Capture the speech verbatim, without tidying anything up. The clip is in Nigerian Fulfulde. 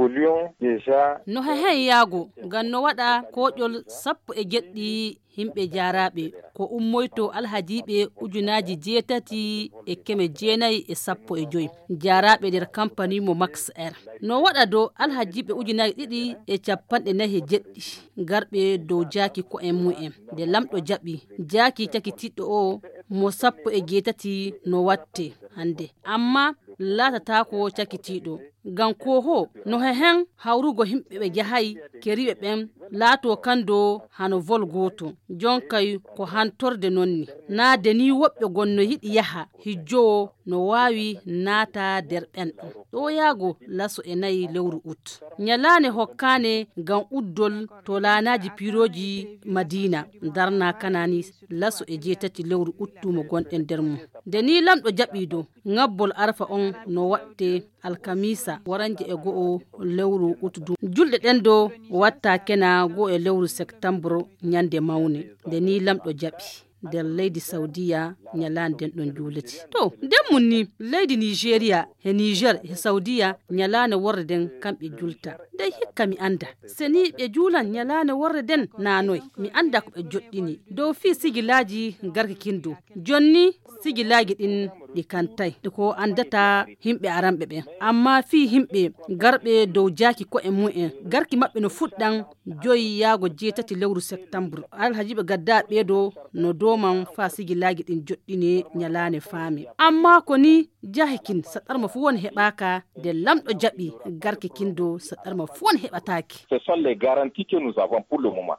évoluons déjà. No hehen yaago ngam no waɗa koƴol sappo e jeɗɗi himɓe jaaraɓe ko ummoyto alhajiɓe ujunaji jeetati e keme jeenayi e sappo e joyi jaaraɓe nder campani mo Max Air. No waɗa dow alhajiɓe ujunaji ɗiɗi e capanɗe nayi e jeɗɗi garɓe dow jaaki ko en mu'en nde lamɗo jaɓi jaaki cakitiɗɗo o mo sappo e jeetati no watte hande amma laatatako cakitiɗo ngam ko ho no hehen hawrugo himɓe ɓe jahayi keriɓe ɓen laato kando hano vol goto jonkay ko hantorde nonni na deni woɓɓe gonno yiɗi yaha hijjowo no wawi naata nder ɓen ɗo yaago laso e nayi lewru ut nyalane hokkane ngam uddol to laanaji piroji Madina darna kanani laso e jeetati lewru uttumo gonɗen nder mum deni lamɗo jaɓido ngabbol arfa on no watte alkamisa waranje e go'o lewru utudu julɗe ɗen do watta kena go e lewru septembre nyande mawne nde ni lamɗo jaɓi nder leydi Saudiya nyalande den ɗon juleti to nden mun ni leydi Nigeria he Niger he Saudiya nyalane worre den kamɓe julta nde hikka mi anda seni ɓe juulan nyalane worre den nanoy mi anda ko ɓe joɗɗini dow fi sigilaji garki kindo jonni sigilaji ɗin ɗi kantay ko andata himɓe aramɓe ɓen amma fi himɓe garɓe dow jaaki ko e mu'en garki maɓɓe no fuɗɗan joyi yaago jeetati lewru septembre alhajiɓe gadda ɓeeɗo no doman fa sigilaji ɗin joɗɗine nyalane faami amma ko ni jahikin saɗarma fu won heɓaka nde lamɗo jaɓi garki kindo saɗarma fu won heɓataki. Ce sont les garanties que nous avons pour le moment.